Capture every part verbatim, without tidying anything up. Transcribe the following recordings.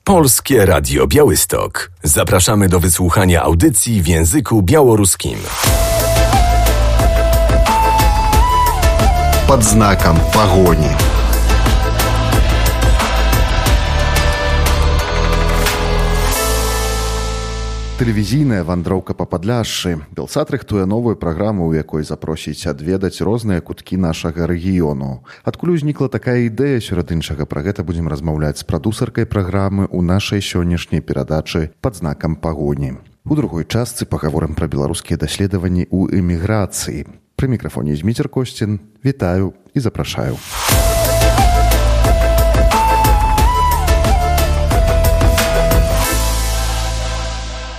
Polskie Radio Białystok. Zapraszamy do wysłuchania audycji w języku białoruskim. Под знаком погони. Тэлевізійная вандроўка па Падляшшы. Белсат рыхтуе новую праграму, у якой запросіць адведаць розныя куткі нашага рэгіёну. Адкуль узнікла такая ідэя, сярод іншага, пра гэта будзем размаўляць з прадусаркай праграмы ў нашай сённяшняй перадачы «Пад знакам пагоні». У другой частцы пагаворым пра беларускія даследаванні ў эміграцыі. Пры мікрафоне Зміцер Косцін. Вітаю і запрашаю.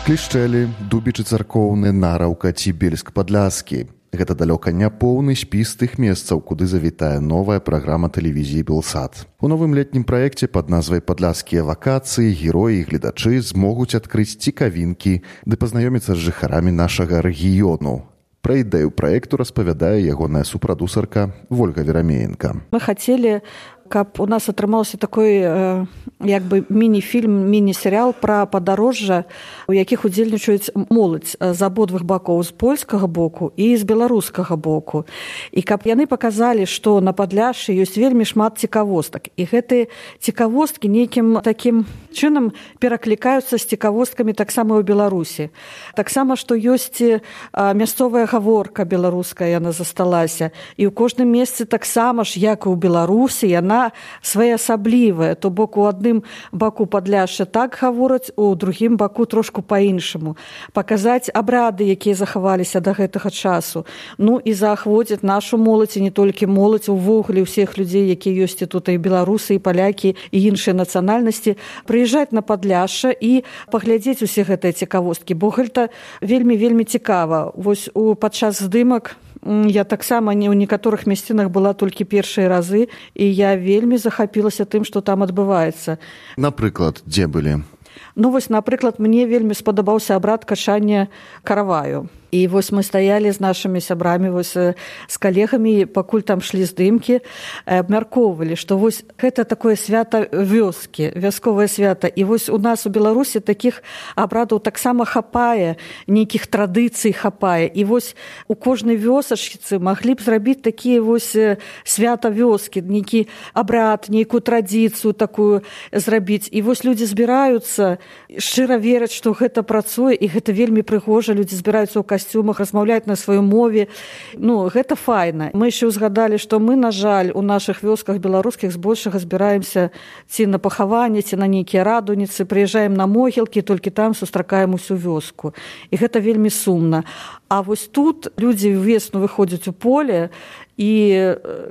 Клішчэлі, Дубічы царкоўны, Нараўка ці Бельск-Падляскі. Гэта далёка не поўны спіс тых месцаў, куды завітае новая праграма тэлевізіі «Белсат». У новым летнім праекце пад назвай «Падляскія вакацыі» героі і гледачы змогуць адкрыць цікавінкі ды пазнаёміцца з жыхарамі нашага рэгіёну. Пра ідэю праекту распавядае ягоная супрадусарка Вольга Верамеенка. Мы хацелі, каб у нас атрымаўся такой э, як бы міні-фільм, міні-серыял пра падарожжа, у якіх удзельнічаюць моладзь з абодвух бакоў, з польскага боку і з беларускага боку. І каб яны паказалі, што на Падляшшы ёсць вельмі шмат цікавостак. І гэтыя цікавосткі нейкім такім чынам пераклікаюцца з цікавосткамі таксама ў Беларусі. Таксама, што ёсць э, мясцовая гаворка беларуская, яна засталася. І ў кожным месцы таксама ж, як і ў Беларусі, яна своеасаблівая, то бок у адным баку Падляшша так гавораць, у другім баку трошку па-іншаму. Паказаць абрады, якія захаваліся да гэтага часу. Ну і заахвоціць нашу моладзь, і не толькі моладзь, увогуле ўсіх людзей, якія ёсць і тут і беларусы, і палякі, і іншыя нацыянальнасці, прыязджаць на Падляшша і паглядзець усе гэтыя цікавосткі, бо гэта вельмі-вельмі цікава. Вось у падчас здымак я таксама не ў некаторых мясцінах была толькі першыя разы, і я вельмі захапілася тым, што там адбываецца. Напрыклад, дзе былі? Ну вось, напрыклад, мне вельмі спадабаўся абрад качання караваю. І вось мы стаялі з нашымі сябрамі, вось з калегамі, пакуль там шлі здымкі, абмяркоўвалі, што вось гэта такое свята вёскі, вясковае свята. І вось у нас у Беларусі такіх абрадаў таксама хапае, нейкіх традыцый хапае. І вось у кожнай вёсачцы маглі б зрабіць такія вось свята вёскі, нейкі абрад, нейкую традыцыю такую зрабіць. І вось людзі збіраюцца, шчыра вераць, што гэта працуе, і гэта вельмі прыгожа, людзі збіраюцца ў касцюмах, размаўляць на сваёй мове. Ну, гэта файна. Мы яшчэ ўзгадалі, што мы, на жаль, у нашых вёсках беларускіх збольшага збіраемся ці на пахаванне, ці на нейкія радуніцы, прыязджаем на могілкі, толькі там сустракаем усю вёску. І гэта вельмі сумна. А вось тут людзі ўвесну выходзяць у поле і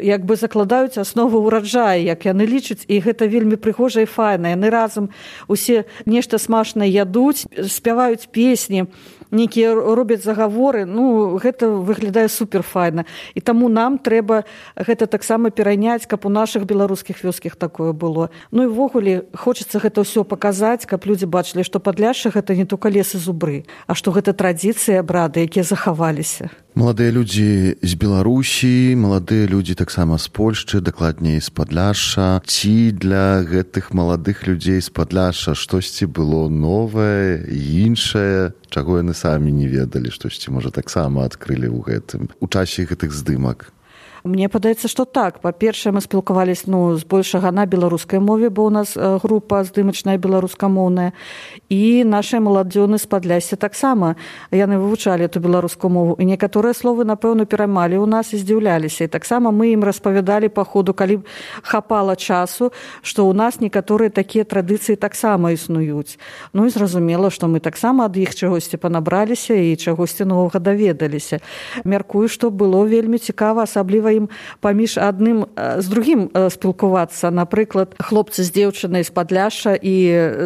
як бы закладаюць аснову ўраджаю, як яны лічаць, і гэта вельмі прыгожа і файна. Яны разам усе нешта смачнае ядуць, спяваюць песні, нейкія робяць загаворы. Ну, гэта выглядае суперфайна. І таму нам трэба гэта таксама перайняць, каб у нашых беларускіх вёсках такое было. Ну і ўвогуле хочацца гэта ўсё паказаць, каб людзі бачылі, што Падляшша гэта не толькі лес і зубры, а што гэта традыцыі, абрады, якія захаваліся. Маладыя людзі з Беларусі, маладыя людзі таксама з Польшчы, дакладней з Падляшша. Ці для гэтых маладых людзей з Падляшша штосьці было новае, іншае, чаго яны самі не ведалі, штосьці, можа, таксама адкрылі ў гэтым, у часе гэтых здымак? Мне падаецца, што так. Па-першае, мы спілкаваліся ну, збольшага на беларускай мове, бо ў нас група здымачная беларускамоўная. І нашыя маладзёны з Падлясся таксама. Яны вывучалі эту беларускую мову. І некаторыя словы, напэўна, пераймалі ў нас і здзіўляліся. І таксама мы ім распавядалі па ходу, калі хапала часу, што ў нас некаторыя такія традыцыі таксама існуюць. Ну і зразумела, што мы таксама ад іх чагосьці панабраліся і чагосьці новага даведаліся. Мяркую, што было вельмі цікава, асабліва ім паміж адным з другім спілкувацца. Напрыклад, хлопцы з дзеўчынай з Падляшша і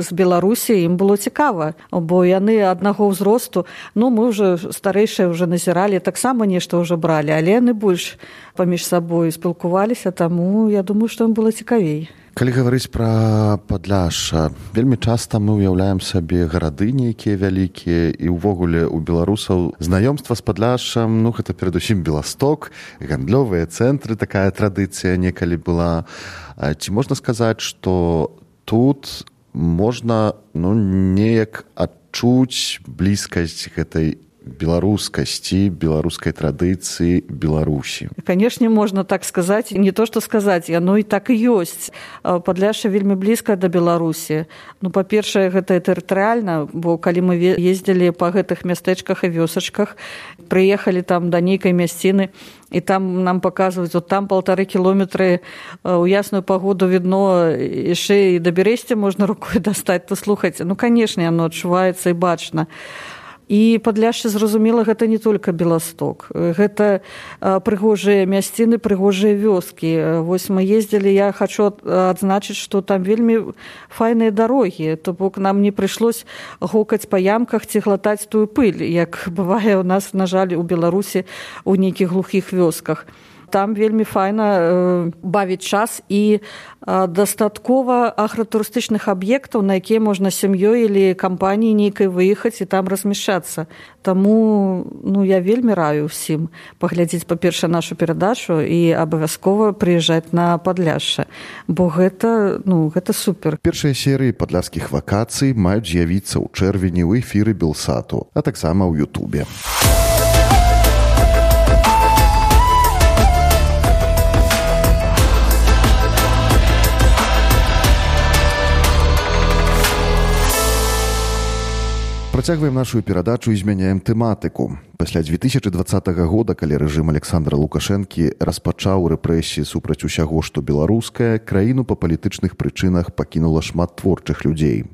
з Беларусі, ім было цікава, бо яны аднаго ўзросту. Ну, мы ўжо старэйшыя ўжо назіралі, таксама нешта ўжо бралі, але яны больш паміж сабой спілкуваліся, таму я думаю, што ім было цікавей. Калі гаварыць пра Падляшша, вельмі часта мы ўяўляем сабе гарады нейкія вялікія, і ўвогуле у беларусаў знаёмства з Падляшшам, ну, гэта перадусім Беласток, гандлёвыя цэнтры, такая традыцыя некалі была. Ці можна сказаць, што тут можна ну, неяк адчуць блізкасць гэтай беларускасці, беларускай традыцыі Беларусі. Канешне, можна так сказаць, не то што сказаць, яно і так і ёсць. Падляшша вельмі блізка да Беларусі. Ну, па-першае, гэта тэрытарыяльна, бо калі мы ездзілі па гэтых мястэчках і вёсачках, прыехалі там да нейкай мясціны, і там нам паказваюць, от там паўтары кіламетры у ясную пагоду відно, яшчэ і да Бересця можна рукой дастаць, то слухайце, ну, канешне, яно адчуваецца і бачна. І Падляшша, зразумела, гэта не толькі Беласток. Гэта прыгожыя мясціны, прыгожыя вёскі. Вось мы ездзілі, я хачу адзначыць, што там вельмі файныя дарогі. То бок нам не прыйшлось гукаць па ямках ці глатаць тую пыль, як бывае у нас, на жаль, у Беларусі у нейкіх глухіх вёсках. Там вельмі файна э, бавіць час і э, дастаткова агратурыстычных аб'ектаў, на якія можна сям'ёй или кампаніяй нейкай выехаць і там размяшчацца. Таму ну, я вельмі раю ўсім паглядзець, па-першае, нашу перадачу і абавязкова прыязджаць на Падляшша, бо гэта, ну, гэта супер. Першыя серыі падляшскіх вакацый маюць з'явіцца ў чэрвені ў эфіры Белсату, а таксама ў Ютубе. Працягваем нашу перадачу і змяняем тэматыку. Пасля дзве тысячы дваццатага года, калі рэжым Александра Лукашэнкі распачаў рэпрэсіі супраць усяго, што беларускае, краіну па палітычных прычынах пакінула шмат творчых людзей.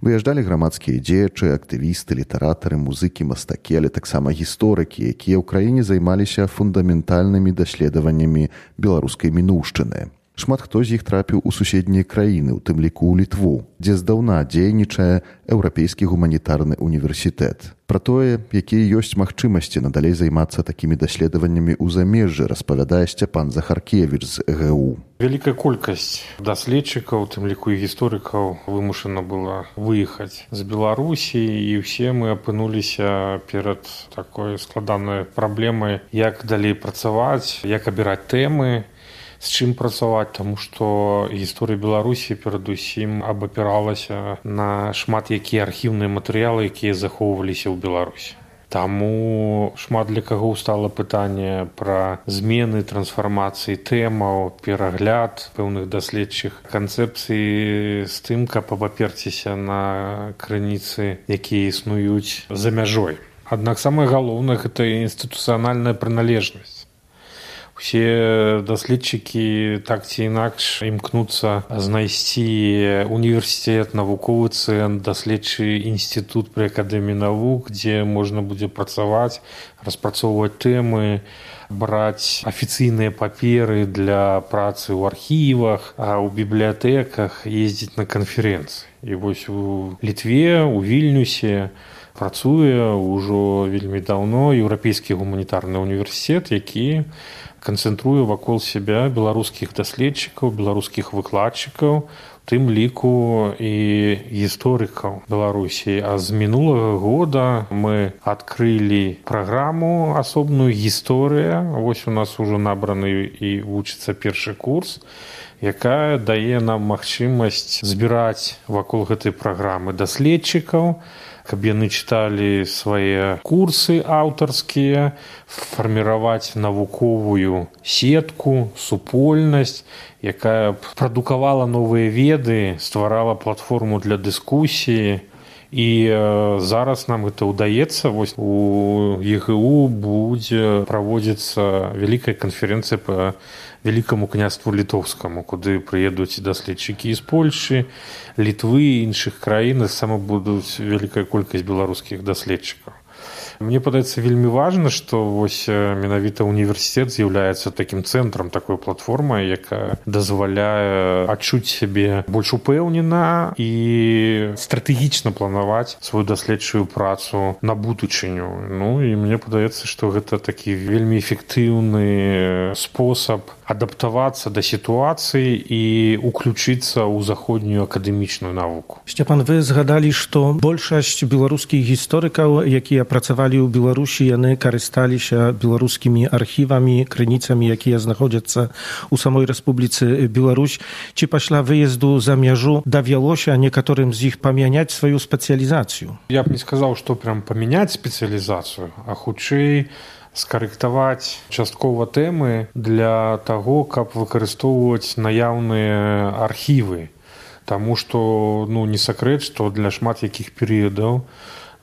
Выязджалі грамадскія дзеячы, актывісты, літаратары, музыкі, мастакі, але таксама гісторыкі, якія ў краіне займаліся фундаментальнымі даследаваннямі беларускай мінуўшчыны. Шмат хто з іх трапіў у суседнія краіны, у тым ліку ў Літву, дзе здаўна дзейнічае Еўрапейскі гуманітарны універсітэт. Пра тое, якія ёсць магчымасці надалей займацца такімі даследаваннямі ў замежжы, распавядае Сцяпан Захаркевіч з э гэ у. Вялікая колькасць даследчыкаў, у тым ліку і гісторыкаў, вымушана была выехаць з Беларусі, і ўсе мы апынуліся перад такой складанай праблемай, як далей працаваць, як абіраць тэмы, з чым працаваць, таму што гісторыя Беларусі перадусім абапіралася на шмат якія архіўныя матэрыялы, якія захоўваліся ў Беларусі. Таму шмат для каго стала пытанне пра змены, трансфармацыі тэмаў, перагляд пэўных даследчых канцэпцый з тым, каб абаперціся на крыніцы, якія існуюць за мяжой. Аднак самае галоўнае – гэта інстытуцыянальная прыналежнасць. Усе даследчыкі так ці інакш імкнуцца знайсці універсітэт, навуковы цэнтр, даследчы інстытут пры акадэміі навук, дзе можна будзе працаваць, распрацоўваць тэмы, браць афіцыйныя паперы для працы ў архівах, а ў бібліятэках ездзіць на канферэнцыі. І вось у Літве, у Вільнюсе працуе ўжо вельмі даўно Еўрапейскі гуманітарны універсітэт, які канцэнтруе вакол сябе беларускіх даследчыкаў, беларускіх выкладчыкаў, у тым ліку і гісторыкаў Беларусі. А з мінулага года мы адкрылі праграму асобную «Гісторыя». Вось у нас ужо набраны і вучыцца першы курс, якая дае нам магчымасць збіраць вакол гэтай праграмы даследчыкаў, каб яны чыталі свае курсы аўтарскія, фарміраваць навуковую сетку, супольнасць, якая б прадукавала новыя веды, стварала платформу для дыскусіі. І э, зараз нам гэта ўдаецца. Вось у е гэ у будзе праводзіцца вялікая канферэнцыя па Вялікаму княству літоўскаму, куды прыедуць даследчыкі з Польшы, Літвы і іншых краін, сама будуць вялікая колькасць беларускіх даследчыкаў. Мне падаецца вельмі важна, што вось менавіта універсітэт з'яўляецца такім цэнтрам, такой платформай, якая дазваляе адчуць сябе больш упэўнена і стратэгічна планаваць сваю даследчую працу на будучыню. Ну і мне падаецца, што гэта такі вельмі эфектыўны спосаб адаптавацца да сітуацыі і уключыцца ў заходнюю акадэмічную навуку. Сцяпан, вы згадалі, што большасць беларускіх гісторыкаў, якія працавалі працавалі ў Беларусі, яны карысталіся беларускімі архівамі, крыніцамі, якія знаходзяцца ў самой Рэспубліцы Беларусь. Ці пасля выезду за мяжу давялося некаторым з іх памяняць сваю спецыялізацыю? Я б не сказаў, што прям памяняць спецыялізацыю, а хутчэй скарэктаваць часткова тэмы для таго, каб выкарыстоўваць наяўныя архівы. Таму што, ну, не сакрэт, што для шмат якіх перыядаў,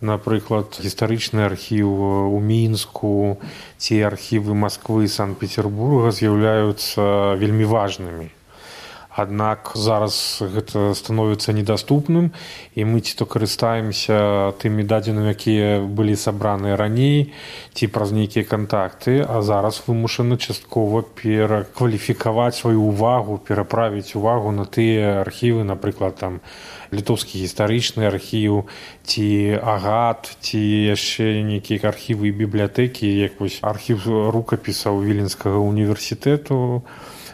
напрыклад, гістарычны архіў у Мінску ці архівы Масквы і Санкт-Петербурга з'яўляюцца вельмі важнымі. Аднак зараз гэта становіцца недаступным, і мы ці то карыстаемся тымі дадзенымі, якія былі сабраныя раней, ці праз нейкія кантакты, а зараз вымушаны часткова перакваліфікаваць сваю ўвагу, пераправіць увагу на тыя архівы, напрыклад, там літоўскі гістарычны архіў, ці агат, ці яшчэ нейкія архівы і бібліятэкі, як вось архіў рукапісаў Віленскага універсітэту,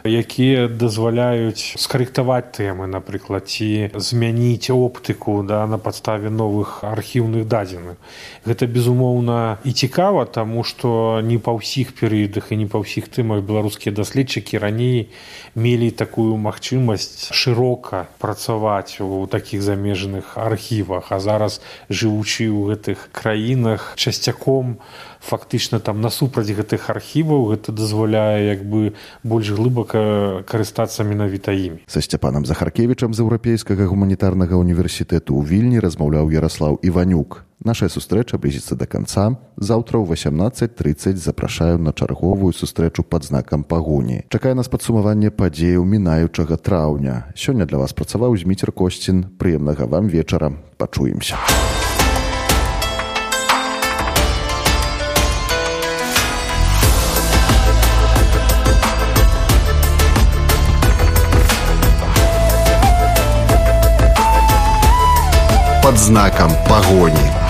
якія дазваляюць скарэктаваць тэмы, напрыклад, ці змяніць оптыку, да, на падставе новых архіўных дадзеных. Гэта, безумоўна, і цікава, таму што не па ўсіх перыядах і не па ўсіх тэмах беларускія даследчыкі раней мелі такую магчымасць шырока працаваць у такіх замежных архівах, а зараз, жывучы ў гэтых краінах, часцяком фактычна там насупраць гэтых архіваў, гэта дазваляе як бы больш глыбака карыстацца менавіта імі. Са Сцяпанам Захаркевічам з Еўрапейскага гуманітарнага універсітэту ў Вільні размаўляў Яраслаў Іванюк. Нашая сустрэча блізіцца да канца. Заўтра ў васямнаццаць трыццаць запрашаю на чарговую сустрэчу пад знакам пагоні. Чакае нас падсумаванне падзеяў мінаючага траўня. Сёння для вас працаваў Зміцер Косцін. Прыемнага вам вечара. Пачуемся. Под знаком погони.